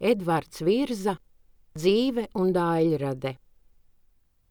Edvards Virza, dzīve un daļrade.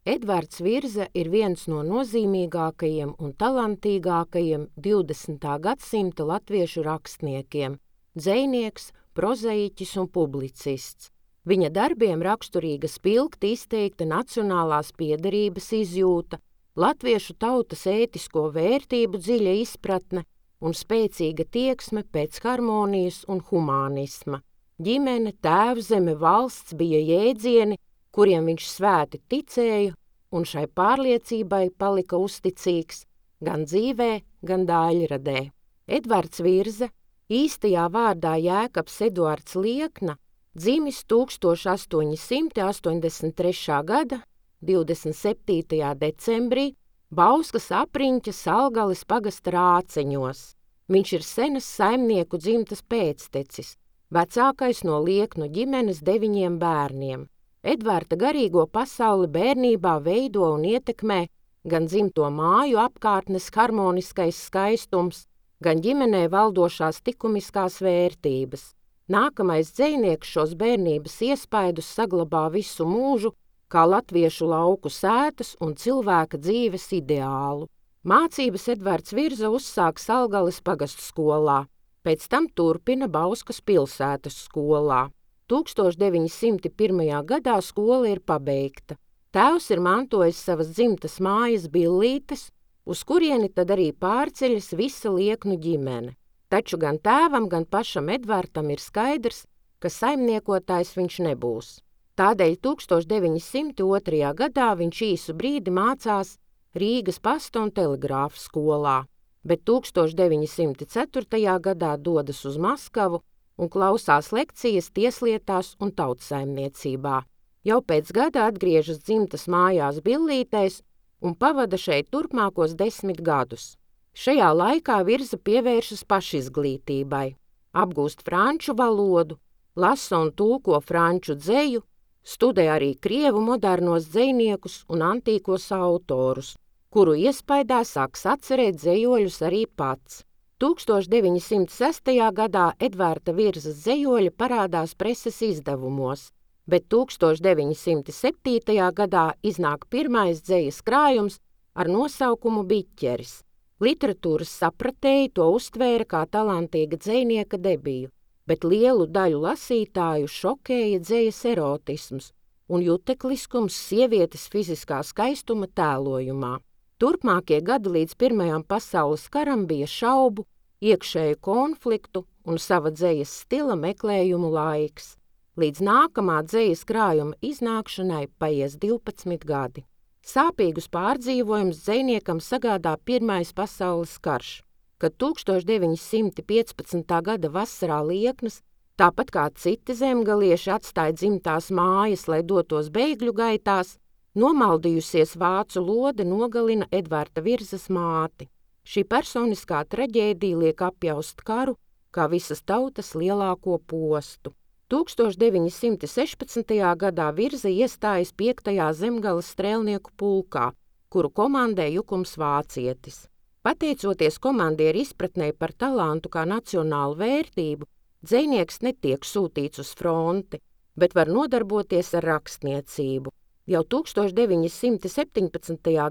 Edvards Virza ir viens no nozīmīgākajiem un talantīgākajiem 20. gadsimta latviešu rakstniekiem, dzejnieks, prozaiķis un publicists. Viņa darbiem raksturīga spilgti izteikta nacionālās piederības izjūta, latviešu tautas ētisko vērtību dziļa izpratne un spēcīga tieksme pēc harmonijas un humānisma. Ģimene, tēvzeme, valsts bija jēdzieni, kuriem viņš svēti ticēja un šai pārliecībai palika uzticīgs gan dzīvē, gan daļradē. Edvards Virza, īstajā vārdā Jēkabs Eduards Liekna, dzimis 1883. gada 27. decembrī Bauskas apriņķa Salgalis pagasta Rāceņos. Viņš ir senas saimnieku dzimtas pēctecis, vecākais no Lieknu ģimenes 9 bērniem. Edvarda garīgo pasauli bērnībā veido un ietekmē gan dzimto māju apkārtnes harmoniskais skaistums, gan ģimenē valdošās likumiskās vērtības. Nākamais dzejnieks šos bērnības iespaidus saglabā visu mūžu kā latviešu lauku sētas un cilvēka dzīves ideālu. Mācības Edvards Virza uzsāk Salgalis pagastu skolā, pēc tam turpina Bauskas pilsētas skolā. 1901. gadā skola ir pabeigta. Tēvs ir mantojis savas dzimtas mājas Billītes, uz kurieni tad arī pārceļas visa Lieknu ģimene. Taču gan tēvam, gan pašam Edvardam ir skaidrs, ka saimniekotājs viņš nebūs. Tādēļ 1902. gadā viņš īsu brīdi mācās Rīgas pasta un telegrāfa skolā, bet 1904. gadā dodas uz Maskavu un klausās lekcijas tieslietās un tautsaimniecībā. Jau pēc gada atgriežas dzimtas mājās Billītēs un pavada šeit turpmākos 10 gadus. Šajā laikā Virza pievēršas pašizglītībai, apgūst franču valodu, lasa un tulko franču dzeju, studē arī krievu modernos dzejniekus un antīkos autorus, kuru iespaidā sāks atcerēt dzejoļus arī pats. 1906. gadā Edvarda Virzas dzejoļi parādās preses izdevumos, bet 1907. gadā iznāk pirmais dzejas krājums ar nosaukumu Biķeris. Literatūras sapratēji to uztvēra kā talantīga dzejnieka debiju, bet lielu daļu lasītāju šokēja dzejas erotisms un jutekliskums sievietes fiziskā skaistuma tēlojumā. Turpmākie gadi līdz Pirmajam pasaules karam bija šaubu, iekšēju konfliktu un sava dzejas stila meklējumu laiks. Līdz nākamā dzejas krājuma iznākšanai paies 12 gadi. Sāpīgus pārdzīvojumus dzejniekam sagādā Pirmais pasaules karš, kad 1915. gada vasarā Lieknas, tāpat kā citi zemgalieši atstāja dzimtās mājas, lai dotos bēgļu gaitās, nomaldījusies vācu lode nogalina Edvarda Virzas māti. Šī personiskā traģēdija liek apjaust karu kā visas tautas lielāko postu. 1916. gadā Virza iestājas 5. zemgales strēlnieku pulkā, kuru komandē Jukums Vācietis. Pateicoties komandieru izpratnei par talantu kā nacionālu vērtību, dzejnieks netiek sūtīts uz fronti, bet var nodarboties ar rakstniecību. Jau 1917.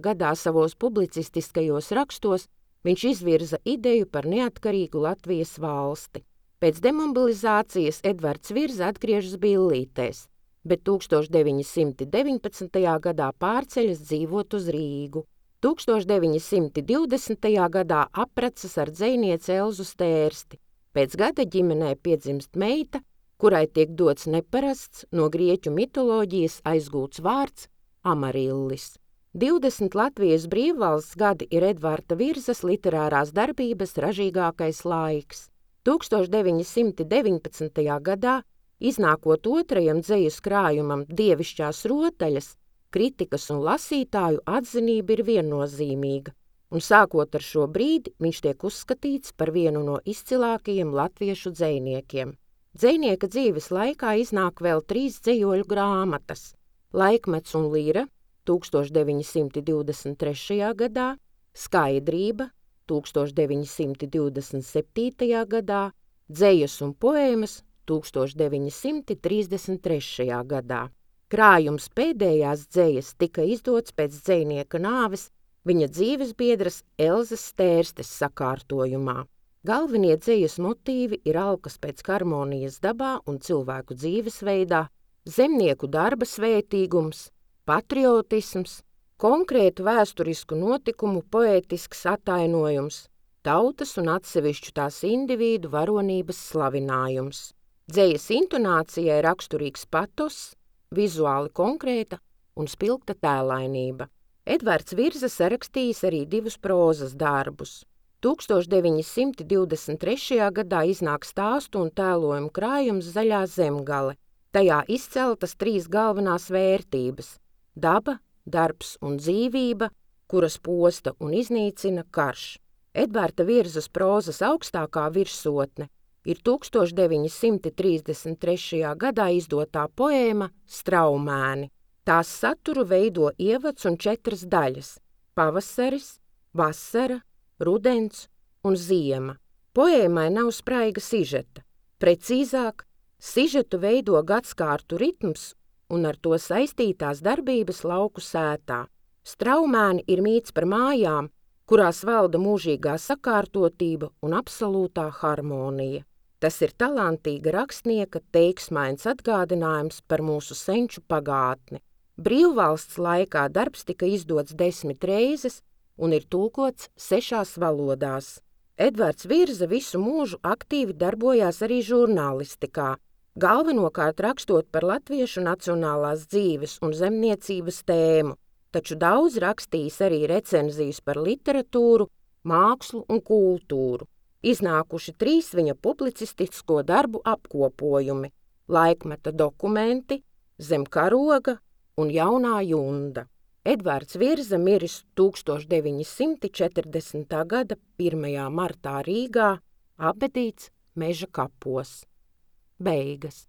gadā savos publicistiskajos rakstos viņš izvirza ideju par neatkarīgu Latvijas valsti. Pēc demobilizācijas Edvards Virza atgriežas Billītēs, bet 1919. gadā pārceļas dzīvot uz Rīgu. 1920. gadā apprecas ar dzejnieci Elzu Stērsti. Pēc gada ģimenē piedzimst meita, kurai tiek dots neparasts no grieķu mitoloģijas aizgūts vārds Amarillis. 20 Latvijas brīvvalsts gadi ir Edvarda Virzas literārās darbības ražīgākais laiks. 1919. gadā, iznākot otrajam dzejas krājumam Dievišķās rotaļas, kritikas un lasītāju atzinība ir viennozīmīga, un sākot ar šo brīdi viņš tiek uzskatīts par vienu no izcilākajiem latviešu dzejniekiem. Dzejnieka dzīves laikā iznāk vēl 3 dzejoļu grāmatas – Laikmets un lira 1923. gadā, Skaidrība 1927. gadā, Dzejas un poēmas 1933. gadā. Krājums pēdējās dzejas tika izdots pēc dzejnieka nāves viņa dzīvesbiedras Elzas Stērstes sakārtojumā. Galvenie dzejas motīvi ir alkas pēc harmonijas dabā un cilvēku dzīvesveidā, zemnieku darba svētīgums, patriotisms, konkrētu vēsturisku notikumu poētisks attainojums, tautas un atsevišķu tās individu varonības slavinājums. Dzejas intonācijai raksturīgs patos, vizuāli konkrēta un spilgta tēlainība. Edvards Virza sarakstījis arī 2 prózas darbus. 1923. gadā iznāk stāstu un tēlojumu krājums Zaļā zemgale. Tajā izceltas 3 galvenās vērtības – daba, darbs un dzīvība, kuras posta un iznīcina karš. Edvarda Virzas prózas augstākā virsotne ir 1933. gadā izdotā poēma Straumēni. Tās saturu veido ievads un 4 daļas – pavasaris, vasara, rudens un ziema. Poēmai nav spraiga sižeta. Precīzāk, sižetu veido gadskārtu ritms un ar to saistītās darbības lauku sētā. Straumēni ir mīts par mājām, kurās valda mūžīgā sakārtotība un absolūtā harmonija. Tas ir talantīga rakstnieka teiksmains atgādinājums par mūsu senču pagātni. Brīvvalsts laikā darbs tika izdots 10 reizes un ir tulkots 6 valodās. Edvards Virza visu mūžu aktīvi darbojās arī žurnālistikā, galvenokārt rakstot par latviešu nacionālās dzīves un zemniecības tēmu, taču daudz rakstījis arī recenzijas par literatūru, mākslu un kultūru. Iznākuši 3 viņa publicistisko darbu apkopojumi – Laikmeta dokumenti, Zem karoga un Jaunā junda. Edvards Virza miris 1940. gada 1. martā Rīgā, apbedīts Meža kapos. Beigas.